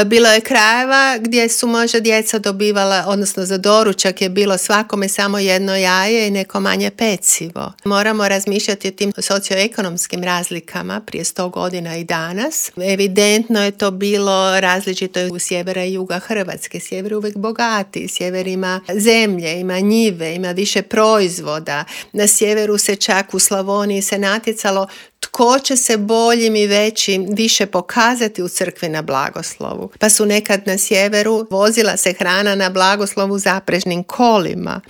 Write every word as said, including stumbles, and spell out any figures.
Bilo je krajeva gdje su možda djeca dobivala, odnosno za doručak je bilo svakome samo jedno jaje i neko manje pecivo. Moramo razmišljati o tim socioekonomskim razlikama prije sto godina i danas. Evidentno je to bilo različito u sjevera i juga Hrvatske. Sjever je uvijek bogatiji, sjever ima zemlje, ima njive, ima više proizvoda. Na sjeveru se čak u Slavoniji se natjecalo tko će se boljim i većim više pokazati u crkvi na blagoslovu. Pa su nekad na sjeveru vozila se hrana na blagoslovu zaprežnim kolima.